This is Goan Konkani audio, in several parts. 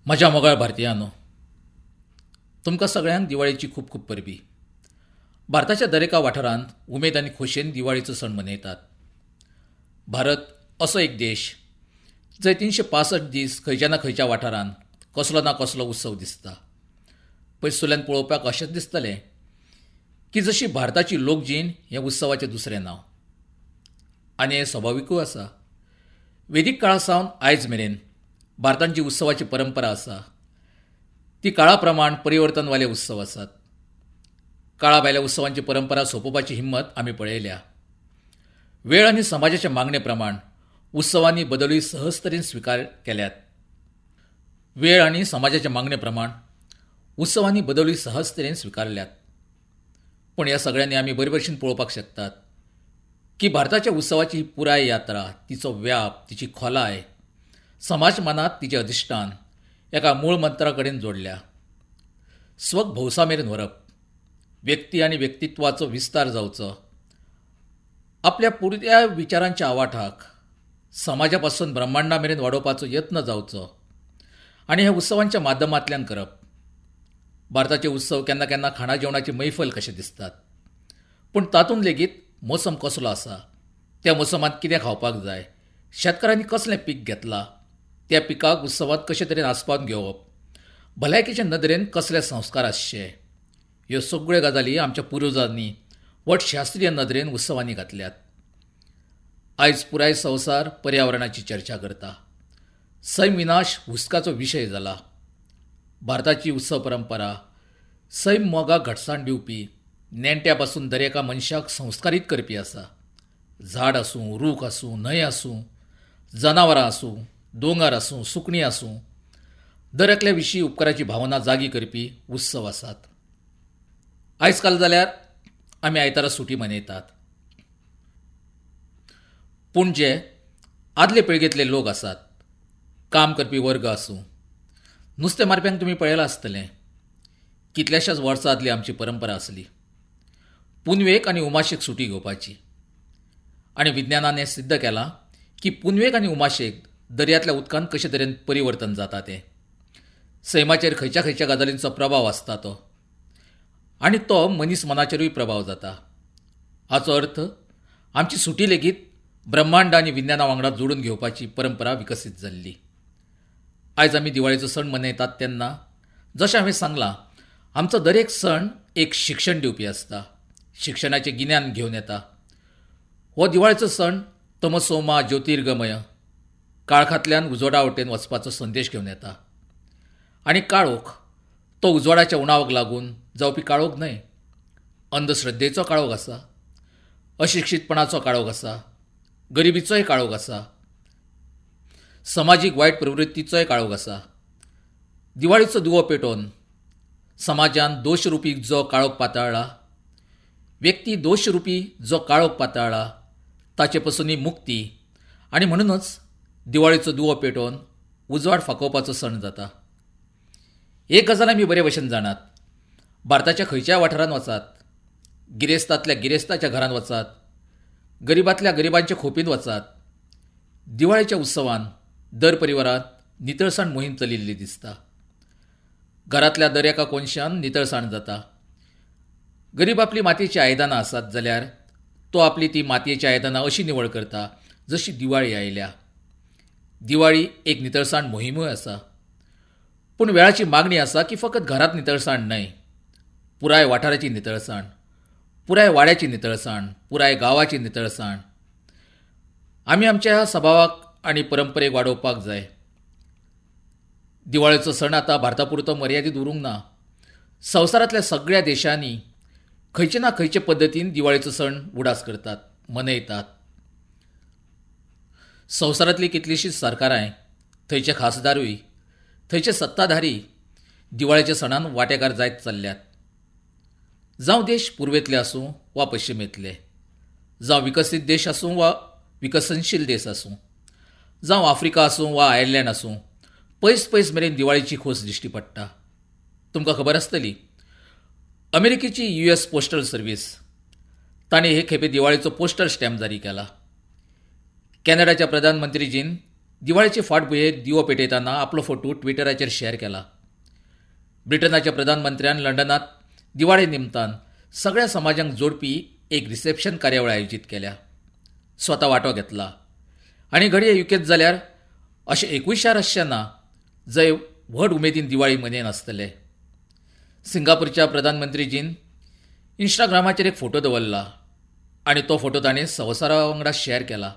म्हज्या मोगाळ भारतीयांनो, तुमकां सगळ्यांक दिवाळेची खूब खूब परबी. भारताच्या दरेका वाठारांत उमेद आनी खोशयेन दिवाळीचो सण मनयतात. भारत असो एक देश जंय 365 दीस खंयच्या ना खंयच्या वाठारांत कसलो ना कसलो उत्सव दिसता. पयसुल्ल्यान पळोवपाक अशेंच दिसतलें की जशी भारताची लोकजीण हें उत्सवाचें दुसरें नांव. आनी हें स्वभाविकूय आसा. वेदीक काळा सावन आयज मेरेन भारतांत जी उत्सवाची परंपरा आसा ती काळा प्रमाण परिवर्तनवाले उत्सव आसात. काळा भायल्या उत्सवांची परंपरा सोंपोवपाची हिंमत आमी पळयल्या. वेळ आनी समाजाच्या मागणे प्रमाण उत्सवांनी बदलूय सहज तरेन स्विकार केल्यात. वेळ आनी समाजाच्या मागणे प्रमाण उत्सवांनी बदलूय सहज तरेन स्विकारल्यात. पूण ह्या सगळ्यांनी आमी बरे भशेन पळोवपाक शकतात की भारताच्या उत्सवाची ही पुराय यात्रा, तिचो व्याप, तिची खोलाय, समाज मनांत तिचें अधिश्ठान एका मूळ मंत्रा कडेन जोडल्या. स्वक भौसा मेरेन व्हरप, व्यक्ती आनी व्यक्तित्वाचो विस्तार जावचो, आपल्या पुरत्या विचारांच्या आवाठाक समाजा पासून ब्रह्मांडा मेरेन वाडोवपाचो यत्न जावचो आनी ह्या उत्सवांच्या माध्यमांतल्यान करप. भारताचे उत्सव केन्ना केन्ना खाणा जेवणाची मैफल कशे दिसतात, पूण तातूंत लेगीत मोसम कसलो आसा, त्या मोसमांत कितें खावपाक जाय, शेतकारांनी कसलें पीक घेतलां, त्या पिकाक उत्सवांत कशे तरेन आसपावन घेवप, भलायकेचे नदरेन कसले संस्कार आसचे, ह्यो सगळ्यो गजाली आमच्या पुर्वजांनी वट शास्त्रीय नदरेन उत्सवांनी घातल्यात. आयज पुराय संवसार पर्यावरणाची चर्चा करता. सैम विनाश हुस्काचो विशय जाला. भारताची उत्सव परंपरा सैम मोगाक घटसाण दिवपी, नेण्ट्या पासून दरेका मनशाक संस्कारीत करपी आसा. झाड आसूं, रूख आसूं, न्हंय आसूं, जनावरां आसूं, दोंगर आसूं, सुकणीं आसूं, दर एकल्या विशीं उपकाराची भावना जागी करपी उत्सव आसात. आयज काल जाल्यार आमी आयतारा सुटी मनयतात. पूण जे आदले पिळगेंतले लोक आसात, काम करपी वर्ग आसूं, नुस्तें मारप्यांक तुमी पळयलां आसतलें. कितल्याशाच वर्सां आदली आमची परंपरा आसली पुनवेक आनी उमाशेक सुटी घेवपाची. आनी विज्ञानान हें सिद्ध केलां की पुनवेक आनी उमाशेक दर्यांतल्या उदकांत कशे तरेन परिवर्तन जाता तें, सैमाचेर खंयच्या खंयच्या गजालींचो प्रभाव आसता तो, आनी तो मनीस मनाचेरूय प्रभाव जाता. हाचो अर्थ आमची सुटी लेगीत ब्रह्मांड आनी विज्ञाना वांगडा जोडून घेवपाची परंपरा विकसीत जाल्ली. आयज आमी दिवाळेचो सण मनयतात तेन्ना जशें हांवें सांगलां, आमचो दरेक सण एक शिक्षण दिवपी आसता, शिक्षणाचें गिन्यान घेवन येता. हो दिवाळेचो सण तमसोमा ज्योतिर्गमय, काळखांतल्यान उजवाडा वटेन वचपाचो संदेश घेवन येता. आनी काळोख तो उजवाडाच्या उणावाक लागून जावपी काळोख न्हय, अंधश्रद्धेचो काळोख आसा, अशिक्षीतपणाचो काळोख आसा, गरिबीचोय काळोख आसा, समाजीक वायट प्रवृत्तीचोय काळोख आसा. दिवाळीचो दिवो पेटोवन समाजान दोशरुपी जो काळोख पाताळ्ळा, व्यक्ती दोशरुपी जो काळोख पाताळ्ळा ताचे पसूनय मुक्ती, आनी म्हणूनच दिवाळीचो दिवो पेटोवन उजवाड फाकोवपाचो सण जाता. एक गजाल आमी बरे भशेन जाणात, भारताच्या खंयच्याय वाठारांत वचात, गिरेस्तांतल्या गिरेस्ताच्या घरांत वचात, गरिबांतल्या गरिबांच्या खोपींत वचात, दिवाळेच्या उत्सवान दर परिवारांत नितळसाण मोहीम चलिल्ली दिसता. घरांतल्या दर एका कोनशान नितळसाण जाता. गरीब आपली मातयेचीं आयदनां आसात जाल्यार तो आपली ती मातयेचीं आयदनां अशी निवळ करता जशी दिवाळी आयल्या. दिवाळी एक नितळसाण मोहिमूय आसा. पूण वेळाची मागणी आसा की फकत घरांत नितळसाण न्हय, पुराय वाठाराची नितळसाण, पुराय वाड्याची नितळसाण, पुराय गांवाची नितळसाण आमी आमच्या सभावाक आनी परंपरेक वाडोवपाक जाय. दिवाळेचो सण आतां भारता पुरतो मर्यादीत उरूंक ना. संवसारांतल्या सगळ्या देशांनी खंयचे ना खंयचे पद्दतीन दिवाळेचो सण उडास करतात, मनयतात. संवसारांतलीं कितलींशींच सरकारांय, थंयचे खासदारूय, थंयचे सत्ताधारी दिवाळेच्या सणान वांटेकार जायत चल्ल्यात. जावं देश पुर्वेंतले आसूं वा पश्चिमेंतले, जावं विकसीत देश आसूं वा विकसनशील देश आसूं, जावं आफ्रिका आसूं वा आयर्लंड आसूं, पयस पयस मेरेन दिवाळेची खोस दिश्टी पडटा. तुमकां खबर आसतली, अमेरिकेची US postal service ताणें हे खेपे दिवाळेचो पोस्टल स्टॅम्प जारी केला. कॅनडाच्या प्रधानमंत्रीजीन दिवाळेचे फाटभुंयेर दिवो पेटयतना आपलो फोटो ट्विटराचेर शेअर केला. ब्रिटनाच्या प्रधानमंत्र्यान लंडनांत दिवाळे निमतान सगळ्या समाजांक जोडपी एक रिसेप्शन कार्यावळ आयोजीत केल्या, स्वता वांटो घेतला. आनी घडये युकेंत जाल्यार अशें एकूय शार आसचें ना जंय व्हड उमेदीन दिवाळी मनयनासतले. सिंगापूरच्या प्रधानमंत्रीजीन इंस्टाग्रामाचेर एक फोटो दवरला आनी तो फोटो ताणें संवसारा वांगडा शेअर केला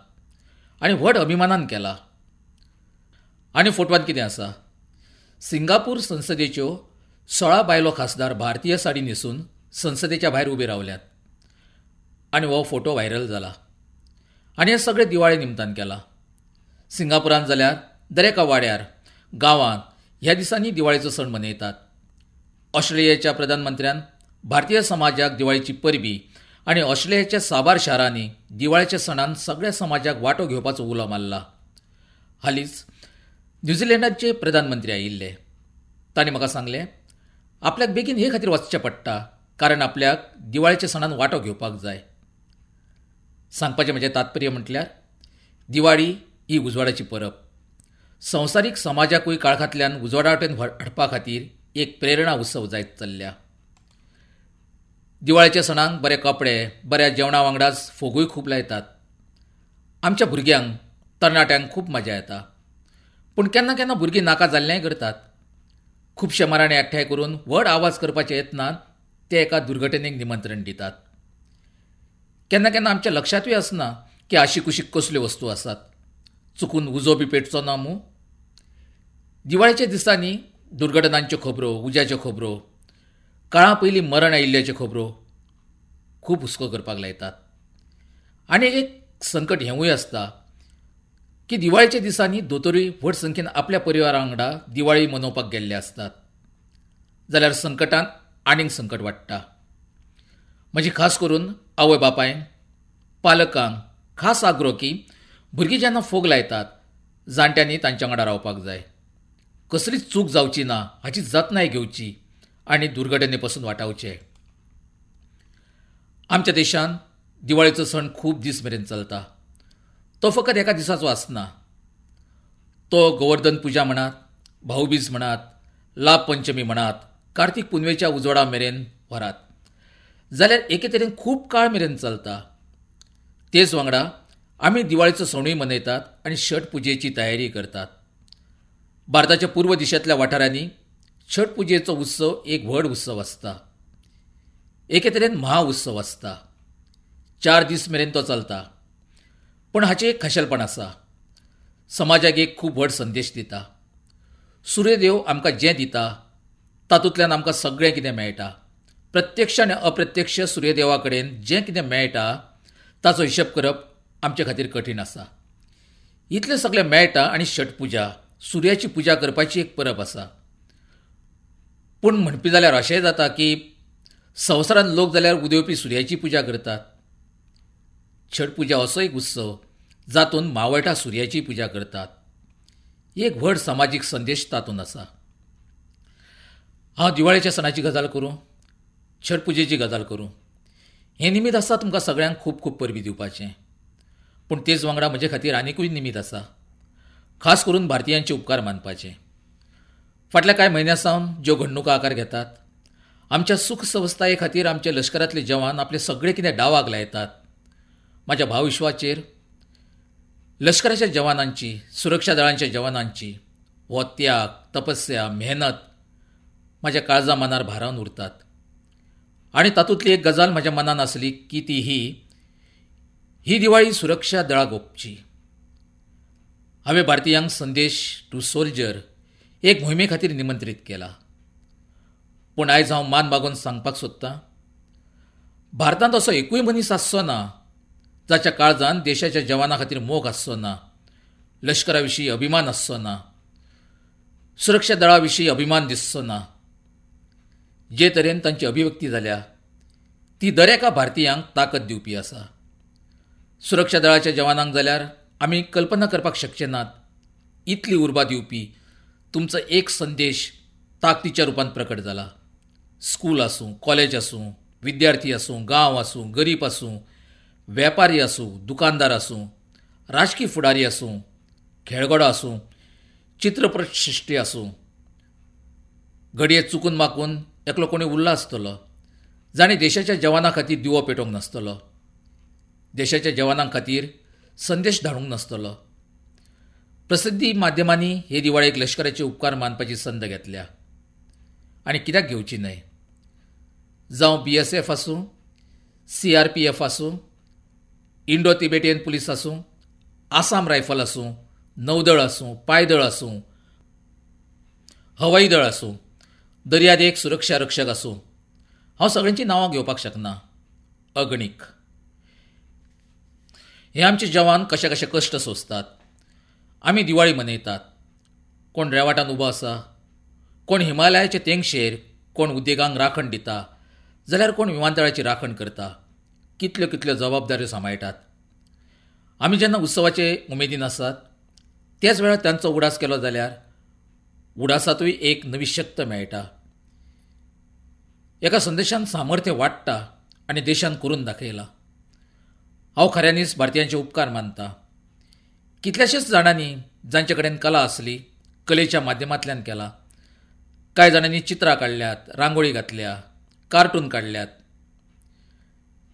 आनी व्हड अभिमानान केला. आनी फोटवान कितें आसा? सिंगापूर संसदेच्यो 16 बायलो खासदार भारतीय साडी न्हेसून संसदेच्या भायर उबे रावल्यात आनी हो फोटो व्हायरल जाला. आनी हें सगळें दिवाळे निमतान केलां. सिंगापुरांत जाल्यार दरेका वाड्यार, गांवांत ह्या दिसांनी दिवाळेचो सण मनयतात. ऑस्ट्रेलियाच्या प्रधानमंत्र्यान भारतीय समाजाक दिवाळेची परबी आनी ऑस्ट्रेलियाच्या साबार शारांनी दिवाळेच्या सणान सगळ्या समाजाक वांटो घेवपाचो उलो मारला. हालींच न्यूझीलंडाचे प्रधानमंत्री आयिल्ले. तांणी म्हाका सांगलें, आपल्याक बेगीन हे खातीर वचचें पडटा कारण आपल्याक दिवाळेच्या सणान वांटो घेवपाक जाय. सांगपाचें म्हजें तात्पर्य म्हटल्यार दिवाळी ही उजवाडाची परब. संवसारीक समाजाकूय काळखांतल्यान उजवाडा वटेन हाडपा खातीर एक प्रेरणा उत्सव जायत चल्ल्या. दिवाळेच्या सणांक बरे कपडे, बऱ्या जेवणा वांगडाच फोगूय खूब लायतात. आमच्या भुरग्यांक, तरणाट्यांक खूब मजा येता. पूण केन्ना केन्ना भुरगीं नाका जाल्लेंय करतात. खुबशे मराणे एकठांय करून व्हड आवाज करपाच्या यत्नान ते एका दुर्घटनेक निमंत्रण दितात. केन्ना केन्ना आमच्या लक्षांतूय आसना की आशिकुशीक कसल्यो वस्तू आसात, चुकून उजो बी पेटचो ना मूं. दिवाळेच्या दिसांनी दुर्घटनांच्यो खबरो, उज्याच्यो खबरो, काळा पयलीं मरण आयिल्ल्याच्यो खबरो खूब हुस्को करपाक लायतात. आनी एक संकट हेंवूय आसता की दिवाळेच्या दिसांनी दोतोरूय व्हड संख्येन आपल्या परिवारा वांगडा दिवाळी मनोवपाक गेल्ले आसतात, जाल्यार संकटान आनीक संकट वाडटा. म्हजी खास करून आवय बापायन, पालकांक खास आग्रो की भुरगीं जेन्ना फोग लायतात जाणट्यांनी तांच्या वांगडा रावपाक जाय. कसलीच चूक जावची ना हाची जतनाय घेवची आनी दुर्घटने पसून वाटावचें. आमच्या देशांत दिवाळेचो सण खूब दीस मेरेन चलता. तो फकत एका दिसाचो आसना. तो गोवर्धन पुजा म्हणात, भाऊबीज म्हणात, लाभ पंचमी म्हणात, कार्तीक पुनवेच्या उजवाडा मेरेन व्हरात जाल्यार एके तरेन खूब काळ मेरेन चलता. तेच वांगडा आमी दिवाळेचो सणूय मनयतात आनी छठ पुजेची तयारी करतात. भारताच्या पूर्व दिशांतल्या वाठारांनी छठ पुजेचो उत्सव एक व्हड उत्सव आसता, एके तरेन महाउत्सव आसता. 4 दीस मेरेन तो चलता. पूण हाचें एक खाशेलपण आसा, समाजाक एक खूब व्हड संदेश दिता. सूर्यदेव आमकां जें दिता तातूंतल्यान आमकां सगळें कितें मेळटा. प्रत्यक्ष आनी अप्रत्यक्ष सूर्यदेवा कडेन जें कितें मेळटा ताचो हिशेब करप आमचे खातीर कठीण आसा. इतलें सगळें मेळटा आनी छठ पुजा, सुर्याची पुजा करपाची एक परब आसा. पूण म्हणपी जाल्यार अशेंय जाता की संवसारांत लोक जाल्यार उदेवपी सुर्याची पुजा करतात. छठ पुजा असो एक उत्सव जातून मावळटा सुर्याची पुजा करतात. एक व्हड समाजीक संदेश तातूंत आसा. हांव दिवाळेच्या सणाची गजाल करूं, छठ पुजेची गजाल करूं, हें निमीत आसा तुमकां सगळ्यांक खूब खूब परबी दिवपाचें. पूण तेच वांगडा म्हजे खातीर आनिकूय निमीत आसा, खास करून भारतीयांचे उपकार मानपाचे. फाटल्या कांय म्हयन्यां सावन ज्यो घडणुको आकार घेतात, आमच्या सुख सवस्थाये खातीर आमचे लश्करांतले जवान आपले सगळे कितें डावाक लायतात. म्हाज्या भावविश्वाचेर लश्कराच्या जवानांची, सुरक्षा दळांच्या जवानांची हो त्याग, तपस्या, मेहनत म्हाज्या काळजा मनार भारावन उरतात. आनी तातूंतली एक गजाल म्हज्या मनान आसली की ती ही दिवाळी सुरक्षा दळाक ओंपची. हांवें भारतीयांक संदेश टू सोल्जर एक मोहिमे खातीर निमंत्रीत केला. पूण आयज हांव मान बागोवन सांगपाक सोदतां, भारतांत असो एकूय मनीस आसचो ना जाच्या काळजान देशाच्या जवाना खातीर मोग आसचो ना, लश्करा विशीं अभिमान आसचो ना, सुरक्षा दळा विशीं अभिमान दिसचो ना. जे तरेन तांची अभिव्यक्ती जाल्या ती दरेका भारतीयांक ताकद दिवपी आसा. सुरक्षा दळाच्या जवानांक जाल्यार आमी कल्पना करपाक शकचे नात इतली उर्बा दिवपी तुमचो एक संदेश ताकदीच्या रुपान प्रकट जाला. स्कूल आसूं, कॉलेज आसूं, विद्यार्थी आसूं, गांव आसूं, गरीब आसूं, वेपारी आसूं, दुकानदार आसूं, राजकी फुडारी आसूं, खेळगडो आसूं, चित्रपट सृश्टी आसूं, घडये चुकून माकून एकलो कोणी उरला आसतलो जाणें देशाच्या जवानां खातीर दिवो पेटोवंक नासतलो, देशाच्या जवानां खातीर संदेश धाडूंक नासतलो. प्रसिद्धी माध्यमांनी हे दिवाळेक लश्कराचे उपकार मानपाची संद घेतल्या आनी कित्याक घेवची न्हय. जावं BSF आसूं, CRPF आसूं, इंडो तिबेटियन पुलीस आसूं, आसाम रायफल आसूं, नौदळ आसूं, पायदळ आसूं, हवाई दळ आसूं, दर्यादेग सुरक्षा रक्षक आसूं, हांव सगळ्यांची नांवां घेवपाक शकना, अगणीक. हे आमचे जवान कशे कशे कश्ट सोंसतात. आमी दिवाळी मनयतात. कोण रेवाटान उबो आसा, कोण हिमालयाचे तेंगशेर, कोण उद्देगांक राखण दिता, जाल्यार कोण विमानतळाची राखण करता. कितल्यो कितल्यो जबाबदाऱ्यो सांबाळटात. आमी जेन्ना उत्सवाचे उमेदीन आसात त्याच वेळार तांचो उडास केलो जाल्यार उडासांतूय एक नवी शक्त मेळटा. एका संदेशान सामर्थ्य वाडटा आनी देशान करून दाखयला. हांव खऱ्यांनीच भारतीयांचे उपकार मानता. कितल्याशाच जाणांनी जांचे कडेन कला आसली कलेच्या माध्यमांतल्यान केला. कांय जाणांनी चित्रां काडल्यात, रांगोळी घातल्या, कार्टून काडल्यात.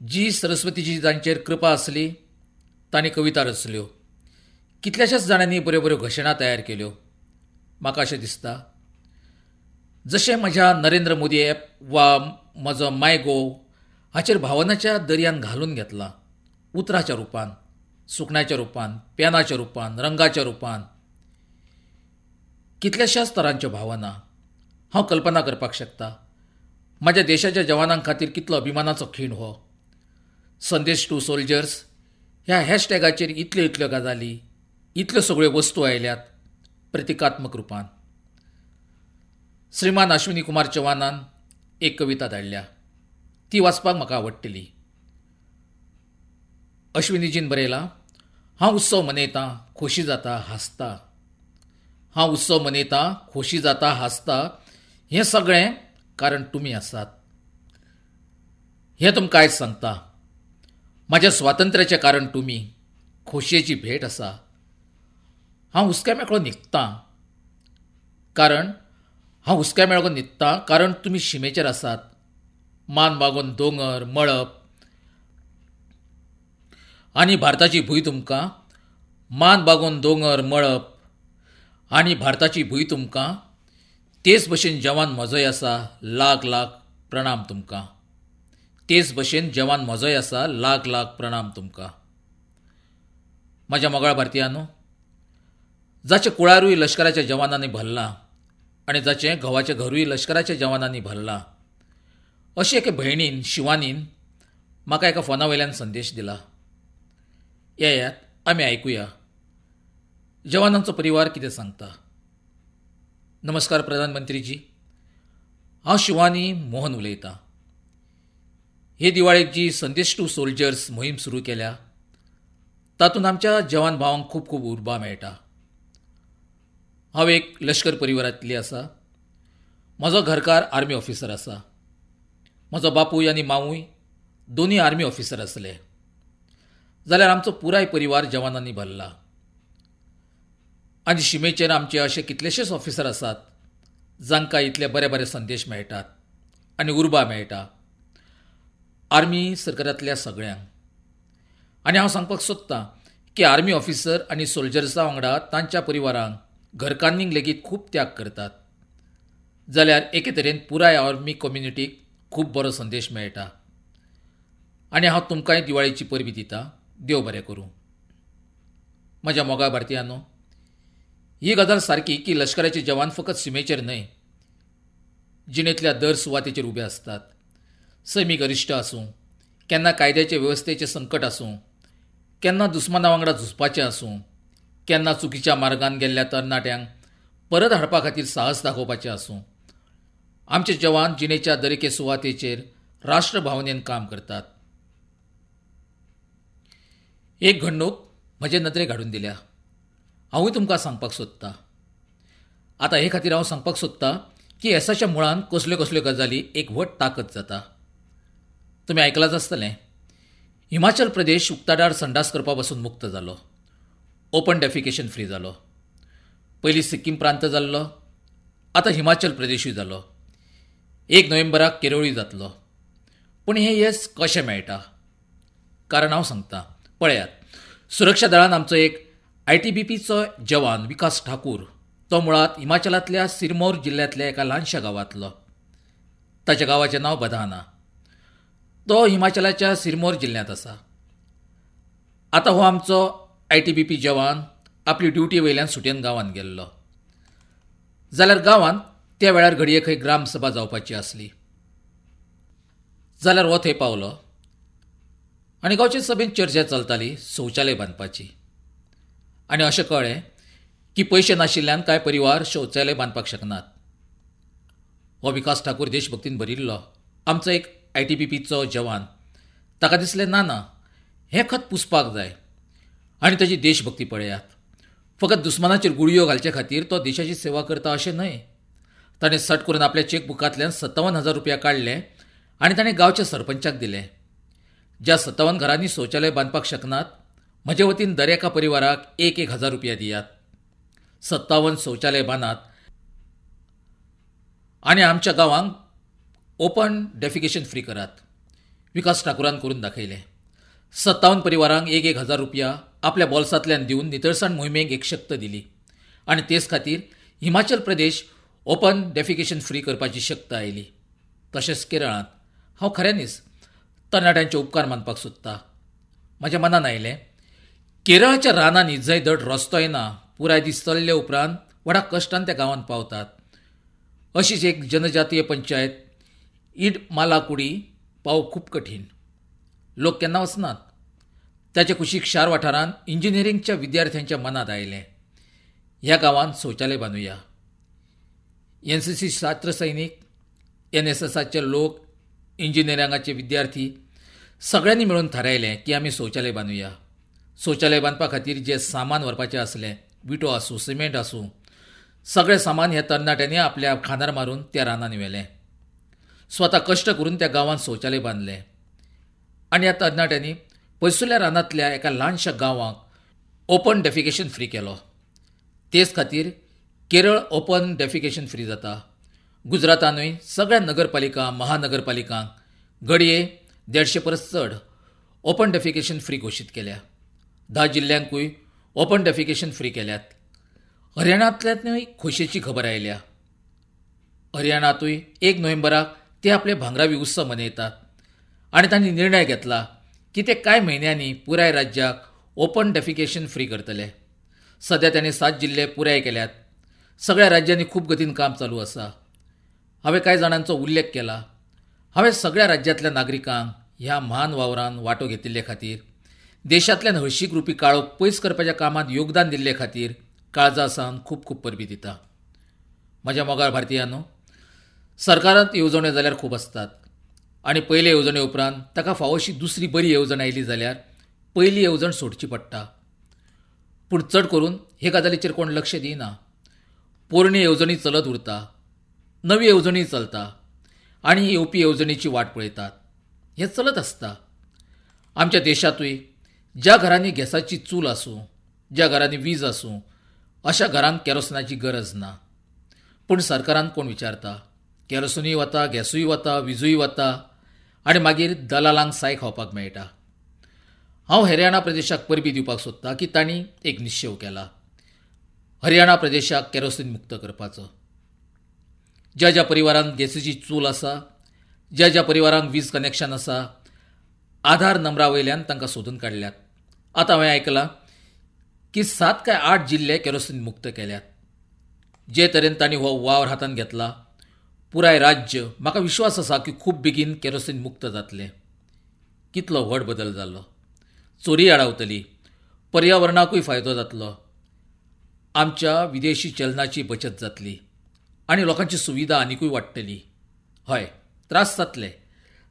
जी सरस्वतीची जांचेर कृपा आसली तांणी कविता रचल्यो. कितल्याशाच जाणांनी बऱ्यो बऱ्यो घोशणा तयार केल्यो. म्हाका अशें दिसता जशें म्हज्या नरेंद्र मोदी ॲप वा म्हजो माय गोव हाचेर भावनाच्या दर्यान घालून घेतला, उतराच्या रुपान, सुकण्याच्या रुपान, पेनाच्या रुपान, रंगाच्या रुपान, कितल्याशाच तरांच्यो भावना हांव कल्पना करपाक शकता. म्हज्या देशाच्या जवानां खातीर कितलो अभिमानाचो खीण हो. संदेश टू सोल्जर्स ह्या हॅशटॅगाचेर इतल्यो इतल्यो गजाली, इतल्यो सगळ्यो वस्तू आयल्यात प्रतिकात्मक रुपान. श्रीमान अश्विनी कुमार चव्हाणान एक कविता धाडल्या, ती वाचपाक म्हाका आवडटली. अश्विनीजीन बरयला, हांव उत्सव मनयतां, खोशी जाता, हांसता. हांव उत्सव मनयतां, खोशी जाता, हांसता, हें सगळें कारण तुमी आसात. हें तुमकां आयज सांगता. म्हाज्या स्वातंत्र्याचें कारण तुमी, खोशयेची भेट आसा. हांव हुस्क्या मेकळो न्हिदतां कारण हांव हुस्क्या मेकळो न्हिदतां कारण तुमी शिमेचेर आसात. मान बागोवन दोंगर, मळब आनी भारताची भूंय तुमकां, मान बागोवन दोंगर, मळब आनी भारताची भूंय तुमकां, तेच भशेन जवान म्हजोय आसा, लाख लाख प्रणाम तुमकां. तेच भशेन जवान म्हजोय आसा, लाख लाख प्रणाम तुमकां. म्हज्या मोगाळ भारतीयांनो, जाचें कुळारूय लश्कराच्या जवानांनी भरलां आनी जाचें घोवाचें घरूय लश्कराच्या जवानांनी भरलां, अशे एके भयणीन, शिवानीन म्हाका एका फोना वयल्यान संदेश दिला. येयात आमी आयकुया जवानांचो परिवार कितें सांगता. नमस्कार प्रधानमंत्रीजी, हांव शिवानी मोहन उलयतां. हे दिवाळेक जी संदेश टू सोल्जर्स मोहीम सुरू केल्या तातूंत आमच्या जवान भावांक खूब खूब उर्बा मेळटा. हांव एक लश्कर परिवारांतली आसा. म्हजो घरकार आर्मी ऑफिसर आसा. म्हजो बापूय आनी मावूय दोनूय आर्मी ऑफिसर आसले. जाल्यार आमचो पुराय परिवार जवानांनी भरला आनी शिमेचेर आमचे अशे कितलेशेच ऑफिसर आसात जांकां इतले बरे बरे संदेश मेळटात आनी उर्बा मेळटा आर्मी सरकारांतल्या सगळ्यांक. आनी हांव सांगपाक सोदतां की आर्मी ऑफिसर आनी सोल्जर्सां वांगडा तांच्या परिवारांक, घरकान्नींक लेगीत खूब त्याग करतात. जाल्यार एके तरेन पुराय आर्मी कम्युनिटीक खूब बरो संदेश मेळटा. आनी हांव तुमकांय दिवाळेची परबी दितां. देव बरें करूं. म्हज्या मोगाळ भारतीयांनो, ही गजाल सारकी की लश्कराचे जवान फकत शिमेचेर न्हय, जिणेंतल्या दर सुवातेचेर उबे आसतात. सैमीक अरिश्ट आसूं, केन्ना कायद्याचे वेवस्थेचें संकट आसूं, केन्ना दुस्माना वांगडा झुजपाचें आसूं, केन्ना चुकीच्या मार्गान गेल्ल्या तरणाट्यांक परत हाडपा खातीर साहस दाखोवपाचें आसूं, आमचे जवान जिणेच्या दरेके सुवातेचेर राष्ट्रभावनेन काम करतात. एक घडणूक म्हजे नदरेक हाडून दिल्या, हांवूय तुमकां सांगपाक सोदतां. आतां हे खातीर हांव सांगपाक सोदतां की येसाच्या मुळान कसल्यो कसल्यो गजाली एक व्हड ताकद जाता. तुमी आयकलांच आसतलें, हिमाचल प्रदेश उक्ताडार संडास करपा पसून मुक्त जालो. ओपन डेफिकेशन फ्री जालो. पयलीं सिक्कीम प्रांत जाल्लो, आतां हिमाचल प्रदेशूय जालो. 1 नोव्हेंबराक केरळूय जातलो. पूण हें येस कशें मेळटा? कारण हांव सांगता, पळयात. सुरक्षा दळान आमचो एक ITBPचो जवान विकास ठाकूर, तो मुळांत हिमाचलांतल्या सिरमौर जिल्ल्यांतल्या एका ल्हानशा गांवांतलो. ताच्या गांवाचें नांव बधाना. तो हिमाचलाच्या सिरमौर जिल्ल्यांत आसा. आतां हो आमचो ITBP जवान आपली ड्युटी वयल्यान सुटयेन गांवांत गेल्लो. जाल्यार गांवांत त्या वेळार घडये खंय ग्रामसभा जावपाची आसली. जाल्यार हो थंय पावलो आनी गांवचे सभेंत चर्चा चलताली शौचालय बांदपाची. आनी अशें कळ्ळें की पयशे नाशिल्ल्यान कांय परिवार शौचालय बांदपाक शकनात. हो विकास ठाकूर देशभक्तीन भरिल्लो आमचो एक ITBPचो जवान. ताका दिसलें ना ना, हें खत पुसपाक जाय. आनी ताची देशभक्ती पळयात. फकत दुस्मानाचेर गुळयो घालचे खातीर तो देशाची सेवा करता अशें न्हय. ताणें सट करून आपल्या चॅकबुकांतल्यान 57,000 रुपया काडले आनी ताणें गांवच्या सरपंचाक दिले. ज्या 57 घरांनी शौचालय बांदपाक शकनात, म्हजे वतीन दर एका परिवाराक 1-1 हजार रुपया दियात. 57 शौचालय बांदात आनी आमच्या गांवांक ओपन डेफिकेशन फ्री करात. विकास ठाकूरान करून दाखयलें. 57 परिवारांक 1-1 हजार रुपया आपल्या बोल्सांतल्यान दिवन नितळसाण मोहिमेक एक शक्त दिली आनी तेच खातीर Himachal Pradesh open defecation free करपाची शक्त आयली. तशेंच केरळांत हांव खऱ्यांनीच तरणाट्यांचे उपकार मानपाक सोदता. म्हज्या मनान आयलें, केरळाच्या रानांनी जंय धड रस्तोय ना, पुराय दीस चल्ले उपरांत व्हडा कश्टान त्या गांवांत पावतात, अशीच एक जनजातीय पंचायत इड मालाकुडी पावप खूब कठीण. लोक केन्ना वचनात. ताच्या कुशीक शार वाठारांत इंजिनियरिंगच्या विद्यार्थ्यांच्या मनांत आयलें, ह्या गांवांत शौचालय बांदुया. NCC छात्र सैनीक, NSSाचे लोक, इंजिनियरिंगाचे विद्यार्थी सगळ्यांनी मेळून थारायलें की आमी शौचालय बांदुया. शौचालय बांदपा खातीर जें सामान व्हरपाचें आसलें, विटो आसूं, सिमेंट आसूं, सगळें सामान ह्या तरणाट्यांनी आपल्या खांदार मारून त्या रानांनी व्हेलें. स्वता कश्ट करून त्या गांवांत शौचालय बांदलें आनी ह्या तरणाट्यांनी पयसुल्ल्या रानांतल्या एका ल्हानशा गांवाक ओपन डेफिकेशन फ्री केलो. तेच खातीर केरळ ओपन डेफिकेशन फ्री जाता. गुजरातानूय सगळ्या नगरपालिका, महानगरपालिकांक घडये 150 परस चड ओपन डेफिकेशन फ्री घोशीत केल्या. 10 जिल्ल्यांकूय ओपन डेफिकेशन फ्री केल्यात. हरियाणांतल्यानूय खोशयेची खबर आयल्या. हरियाणांतूय 1 नोव्हेंबराक ते आपले भांगरावी उत्सव मनयतात आनी तांणी निर्णय घेतला की ते कांय म्हयन्यांनी पुराय राज्याक ओपन डेफिकेशन फ्री करतले. सद्या तांणी 7 जिल्ले पुराय केल्यात. सगळ्या राज्यांनी खूब गतीन काम चालू आसा. हांवें कांय जाणांचो उल्लेख केला. हांवें सगळ्या राज्यांतल्या नागरिकांक ह्या म्हान वावरान वांटो घेतिल्ले खातीर, देशांतल्यान हळशीक रुपी काळोख पयस करपाच्या कामांत योगदान दिल्ले खातीर काळजा सावन खूब खूब परबीं दिता. म्हज्या मोगाळ भारतीयांनो, सरकारांत येवजण्यो जाल्यार खूब आसतात आनी पयले येवजणे उपरांत ताका फावोशी दुसरी बरी येवजण आयली जाल्यार पयली येवजण सोडची पडटा. पूण चड करून हे गजालीचेर कोण लक्ष दिना. पोरणी येवजणी चलत उरता, नवी येवजणी चलता आनी येवपी येवजणीची वाट पळयतात. हें चलत आसता. आमच्या देशांतूय ज्या घरांनी गॅसाची चूल आसूं, ज्या घरांनी वीज आसूं, अशा घरांक केरोसिनाची गरज ना. पूण सरकारान कोण विचारता? केरोसिनूय वता, गॅसूय वता, विजूय वता आनी मागीर दलालांक साय खावपाक मेळटा. हांव हरियाणा प्रदेशाक परबीं दिवपाक सोदतां की तांणी एक निश्चेव केला, हरियाणा प्रदेशाक केरोसीन मुक्त करपाचो. ज्या ज्या परिवारांत गॅसीची चूल आसा, ज्या ज्या परिवारांक वीज कनेक्शन आसा, आधार नंबरा वयल्यान तांकां सोदून काडल्यात. आतां हांवें आयकलां की 7 काय 8 जिल्ले केरोसीन मुक्त केल्यात. जे तरेन तांणी हो वावर हातांत घेतला, पुराय राज्य म्हाका विश्वास आसा की खूब बेगीन केरोसीन मुक्त जातलें. कितलो व्हड बदल जालो. चोरी आडावतली, पर्यावरणाकूय फायदो जातलो, आमच्या विदेशी चलनाची बचत जातली आनी लोकांची सुविधा आनिकूय वाडटली. हय, त्रास जातले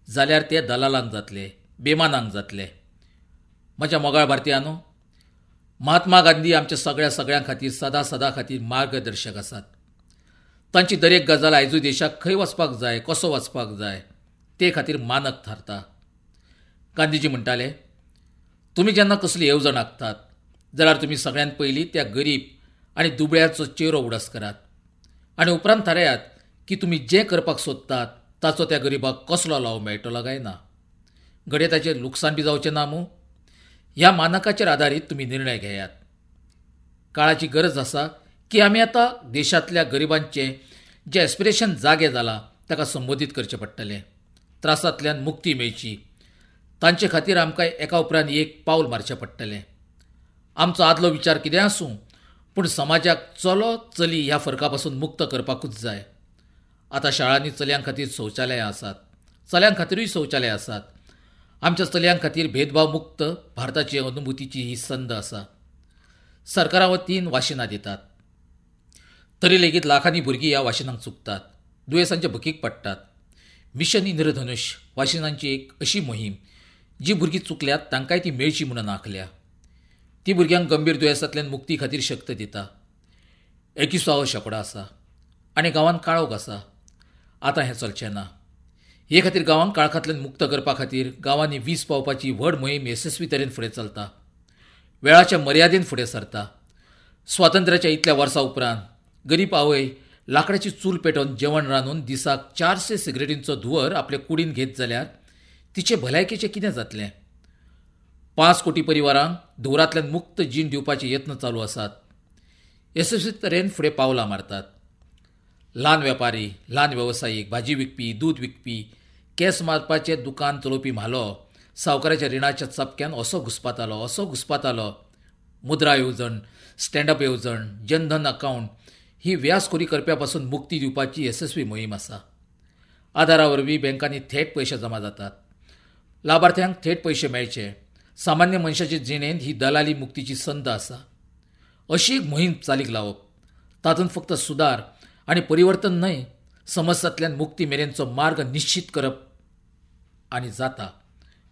जाल्यार ते दलालांक जातले, बेमानांक जातले. म्हज्या मोगाळ भारतीयांनो, महात्मा गांधी आमच्या सगळ्या सगळ्यां खातीर सदा सदा खातीर मार्गदर्शक आसात. तांची दरेक गजाल आयजूय देशाक खंय वचपाक जाय, कसो वचपाक जाय ते खातीर मानक थारता. गांधीजी म्हणटाले, तुमी जेन्ना कसली येवजण आंखतात जाल्यार तुमी सगळ्यांत पयलीं त्या गरीब आनी दुबळ्याचो चेरो उडास करात आनी उपरांत थारायात की तुमी जें करपाक सोदतात ताचो त्या गरिबाक कसलो लाव मेळटलो काय ना, घडये ताचें लुकसाण बी जावचें ना मूं. ह्या मानकाचेर आदारीत तुमी निर्णय घेयात. काळाची गरज आसा की आमी आतां देशांतल्या गरिबांचें जें एस्पिरेशन जागे जालां ताका संबोधीत करचें पडटलें. त्रासांतल्यान मुक्ती मेळची तांचे खातीर आमकां एका उपरांत एक पावल मारचें पडटलें. आमचो आदलो विचार कितें आसूं, पूण समाजाक चलो चली ह्या फरका पासून मुक्त करपाकूच जाय. आतां शाळांनी चलयां खातीर शौचालयां आसात, चल्यां खातीरूय शौचालयां आसात. आमच्या चलयां खातीर भेदभाव मुक्त भारताची अनुभूतीची ही संद आसा. सरकारा वतीन वाशिनां दितात, तरी लेगीत लाखांनी भुरगीं ह्या वाशिनांक चुकतात, दुयेंसांच्या भकीक पडटात. मिशन इंद्रधनुश वाशिनांची एक अशी मोहीम जी भुरगीं चुकल्यात तांकांय ती मेळची म्हणून आंखल्या. ती भुरग्यांक गंभीर दुयेंसांतल्यान मुक्ती खातीर शक्त दिता. 21वो शेंकडो आसा आनी गांवांत काळोख आसा. आतां हें चलचें ना. हे खातीर गांवांक काळखांतल्यान मुक्त करपा खातीर गांवांनी वीज पावपाची व्हड मोहीम येसस्वी तरेन फुडें चलता, वेळाच्या मर्यादेन फुडें सरता. स्वातंत्र्याच्या इतल्या वर्सां उपरांत गरीब आवय लाकडाची चूल पेटोवन जेवण रांदून दिसाक 400 सिगरेटींचो धुंवर आपले कुडीन घेत जाल्यार तिचे भलायकेचें कितें जातलें? 5 कोटी परिवारांक धुंवरांतल्यान मुक्त जीण दिवपाचे यत्न चालू आसात. येसस्वी तरेन फुडें पावलां मारतात. ल्हान वेपारी, ल्हान वेवसायीक, भाजी विकपी, दूद विकपी, केंस मारपाचें दुकान चलोवपी म्हालो सावकाराच्या रिणाच्या चपक्यान असो घुसपातालो, असो घुसपातालो. मुद्रा येवजण, स्टँडअप येवजण, जनधन अकावंट ही व्यासखोरी करप्या पासून मुक्ती दिवपाची येसस्वी मोहीम आसा. आधारा वरवीं बँकांनी थेट पयशे जमा जातात, लाभार्थ्यांक थेट पयशे मेळचे. सामान्य मनशाचे जिणेंत ही दलाली मुक्तीची संद आसा. अशी एक मोहीम चालीक लावप, तातूंत फक्त सुदार आनी परिवर्तन न्हय, समस्यांतल्यान मुक्ती मेरेनचो मार्ग निश्चित करप आनी जाता.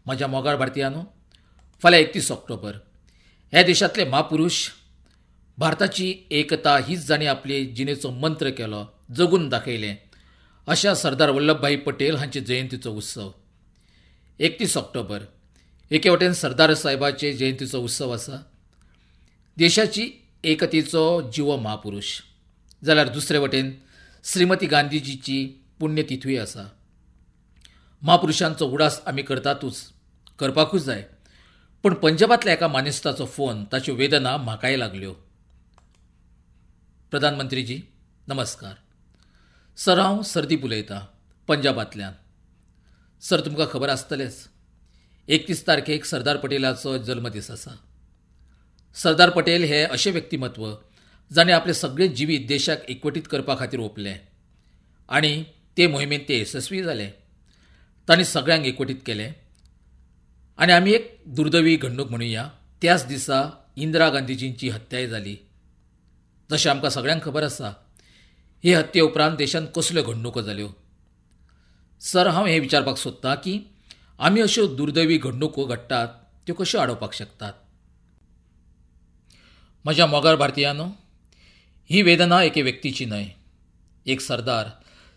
म्हज्या मोगाळ भारतीयांनो, फाल्यां 31 ऑक्टोबर ह्या देशांतले म्हापुरूष भारताची एकता हीच जांणी आपले जिणेचो मंत्र केलो, जगून दाखयलें, अशा सरदार वल्लभभाई पटेल हांचे जयंतीचो उत्सव. 31 ऑक्टोबर एके वटेन सरदार साहेबाचे जयंतीचो उत्सव आसा, देशाची एकतेचो जिवो म्हापुरूष, जाल्यार दुसरे वटेन श्रीमती गांधीजीची पुण्यतिथूय आसा. म्हापुरुषांचो उडास आमी करतातूच, करपाकूच जाय, पूण पंजाबांतल्या एका मानेस्ताचो फोन, ताच्यो वेदना म्हाकाय लागल्यो. प्रधानमंत्रीजी नमस्कार. सर, हांव सरदीप उलयतां, पंजाबांतल्यान. सर, तुमकां खबर आसतलेंच, 31 तारखेक सरदार पटेलाचो जल्मदीस आसा. सरदार पटेल हे अशें व्यक्तिमत्व जाणें आपलें सगळें जिवीत देशाक एकवटीत करपा खातीर ओंपलें आनी ते मोहिमेंत ते येसस्वी जाले. तांणी सगळ्यांक एकवटीत केलें आनी आमी एक दुर्दैवी घडणूक म्हणुया, त्याच दिसा इंदिरा गांधीजींची हत्याय जाली. जशें आमकां सगळ्यांक खबर आसा, हे हत्ये उपरांत देशांत कसल्यो घडणुको जाल्यो. सर, हांव हें विचारपाक सोदतां की आमी अश्यो दुर्दैवी घडणुको घडटात त्यो कश्यो आडोवपाक शकतात? म्हज्या मोगाळ भारतीयांनो, ही वेदना एके व्यक्तीची न्हय, एक सरदार,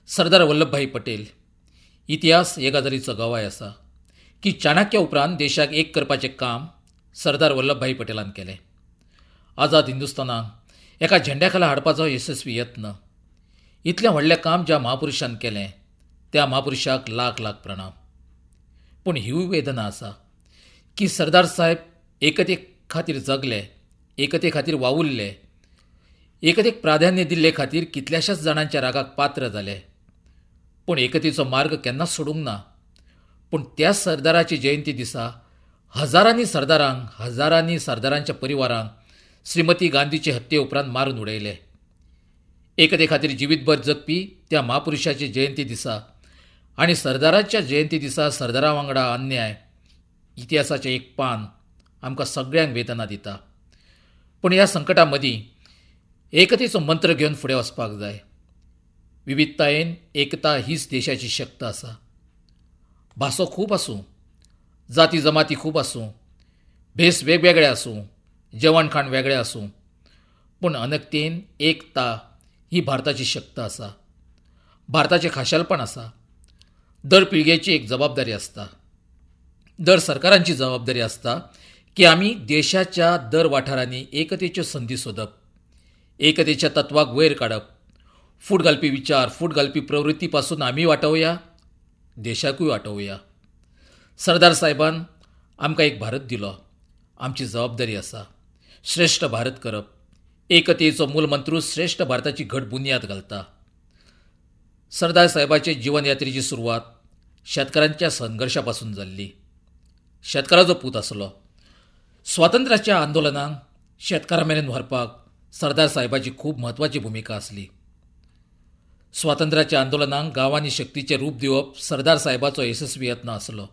सरदार वल्लभभाई पटेल. इतिहास हे गजालीचो गवाय आसा की चाणक्य उपरांत देशाक एक करपाचें काम सरदार वल्लभभाई पटेलान केलें. आझाद हिंदुस्तानाक एका झेंड्या खाला हाडपाचो येसस्वी यत्न, इतलें व्हडलें काम ज्या म्हापुरुषान केलें त्या म्हापुरुषाक लाख लाख प्रणाम. पूण हीवूय वेदना आसा की सरदार साहेब एकते खातीर जगले, एकते खातीर वावुरले, एकतेक प्राधान्य दिल्ले खातीर कितल्याशाच जाणांच्या रागाक पात्र जाले, पूण एकतेचो मार्ग केन्नाच सोडूंक ना. पूण त्या सरदाराची जयंती दिसा हजारांनी सरदारांक, हजारांनी सरदारांच्या परिवारांक श्रीमती गांधीचे हत्ये उपरांत मारून उडयले. एकते खातीर जिवीतभर जगपी त्या म्हापुरुषाची जयंती दिसा आनी सरदाराच्या जयंती दिसा सरदारा वांगडा अन्याय, इतिहासाचें एक पान आमकां सगळ्यांक वेदना दिता. पूण ह्या संकटा मदीं एकतेचो मंत्र घेवन फुडें वचपाक जाय. विविधतायेन एकता हीच देशाची शक्त आसा. भासो खूब आसूं, जाती जमाती खूब आसूं, भेस वेगवेगळे आसूं, जेवण खाण वेगळें आसूं, पूण अनकतेन एकता ही भारताची शक्त आसा, भारताचें खाशेलपण आसा. दर पिळगेची एक जबाबदारी आसता, दर सरकारांची जबाबदारी आसता की आमी देशाच्या दर वाठारांनी एकतेच्यो संदी सोदप, एकतेच्या तत्वाक वयर काडप, फूट घालपी विचार, फूट घालपी प्रवृत्ती पासून आमी वाटोवया, देशाकूय वाटोवया. सरदार साहेबान आमकां एक भारत दिलो, आमची जबाबदारी आसा श्रेश्ठ भारत करप. एकतेचो मूलमंत्रू श्रेश्ठ भारताची घट बुन्याद घालता. सरदार साहेबाचे जीवनयात्रेची सुरवात शेतकारांच्या संघर्शा पासून जाल्ली. शेतकाराचो पूत आसलो. स्वातंत्र्याच्या आंदोलनाक शेतकारां मेरेन व्हरपाक सरदार साहेबाची खूब म्हत्वाची भुमिका आसली. स्वातंत्र्याच्या आंदोलनाक गांवांनी शक्तीचें रूप दिवप सरदार साहेबाचो येसस्वी यत्न आसलो.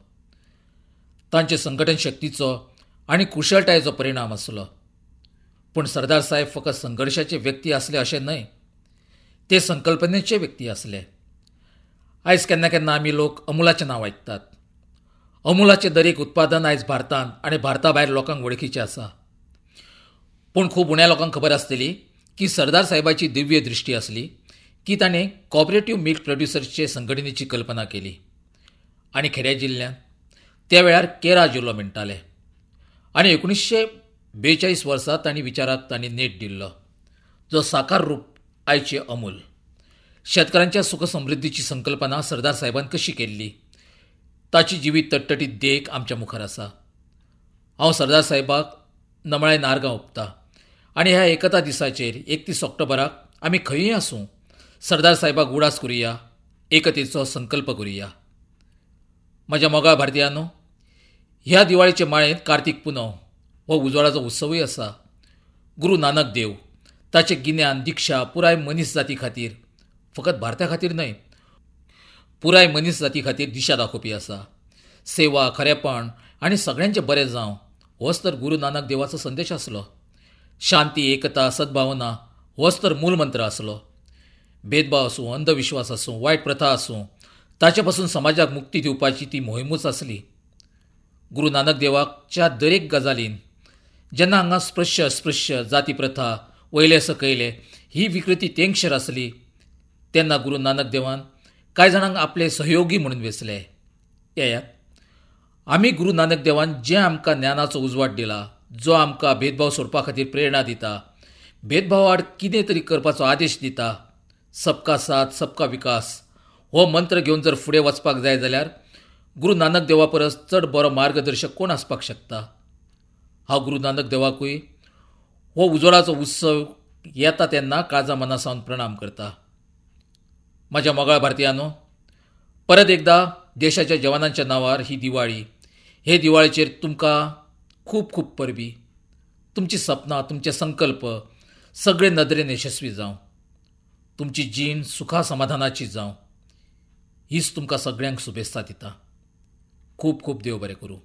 तांचे संघटन शक्तीचो आनी कुशळटायेचो परिणाम आसलो. पूण सरदार साहेब फकत संघर्शाचे व्यक्ती आसले अशें न्हय, ते संकल्पनेचे व्यक्ती आसले. आयज केन्ना केन्ना आमी लोक अमुलाचें नांव आयकतात. अमुलाचें दरेक उत्पादन आयज भारतांत आनी भारता भायर लोकांक वळखीचें आसा. पूण खूब उण्या लोकांक खबर आसतली की सरदार साहेबाची दिव्य दृश्टी आसली की ताणें कॉपरेटिव्ह मिल्क प्रोड्युसर्सचे संघटनेची कल्पना केली आनी खेड्या जिल्ल्यांत त्या वेळार केरा जिल्लो म्हणटाले आनी 1942 वर्सा तांणी विचाराक तांणी नेट दिल्लो, जो साकार रूप आयचे अमूल. शेतकारांच्या सुखसमृद्धीची संकल्पना सरदार साहेबान कशी केल्ली ताची जिवीत तटतटीत देख आमच्या मुखार आसा. हांव सरदार साहेबाक नमळायेन आर्गां ओंपता आनी ह्या एकता दिसाचेर 31 ऑक्टोबराक आमी खंयूय आसूं सरदार साहेबाक उडास करुया, एकतेचो संकल्प करुया. म्हज्या मोगाळ भारतीयांनो, ह्या दिवाळेचे माळेंत कार्तीक पुनव हो उजवाडाचो उत्सवूय आसा. गुरू नानक देव ताचें गिन्यान, दिक्षा पुराय मनीस जाती खातीर, फकत भारता खातीर न्हय, पुराय मनीस जाती खातीर दिशा दाखोवपी आसा. सेवा, खरेपण आनी सगळ्यांचें बरें जावं होच तर गुरू नानक देवाचो संदेश आसलो. शांती, एकता, सद्भावना होच तर मूलमंत्र आसलो. भेदभाव आसूं, अंधविश्वास आसूं, वायट प्रथा आसूं, ताचे पासून समाजाक मुक्ती दिवपाची ती मोहिमूच आसली. गुरू नानक देवाच्या दरेक गजालीन जेन्ना हांगा स्पृश्य अस्पृश्य, जाती प्रथा, वयले सकयले ही विकृती तेंगशेर आसली तेन्ना गुरू नानक देवान कांय जाणांक आपले सहयोगी म्हणून वेंचले. येयात आमी गुरू नानक देवान जें आमकां ज्ञानाचो उजवाड दिला, जो आमकां भेदभाव सोडपा खातीर प्रेरणा दिता, भेदभावा आड कितें तरी करपाचो आदेश दिता, सबका साथ सबका विकास हो मंत्र घेवन जर फुडें वचपाक जाय जाल्यार गुरू नानक देवा परस चड बरो मार्गदर्शक कोण आसपाक शकता? हांव गुरू नानक देवाकूय हो उजवाडाचो उत्सव येता तेन्ना काळजा मना सावन प्रणाम करता. म्हज्या मोगाळ भारतीयांनो, परत एकदा देशाच्या जवानांच्या नांवार ही दिवाळी, हे दिवाळेचेर तुमकां खूब खूब परबी. तुमची सपनां, तुमचे संकल्प सगळे नदरेन यशस्वी जावं, तुमची जीण सुखा समाधानाची जावं, हीच तुमकां सगळ्यांक शुभेत्सा दिता. खूब खूब देव बरें करूं.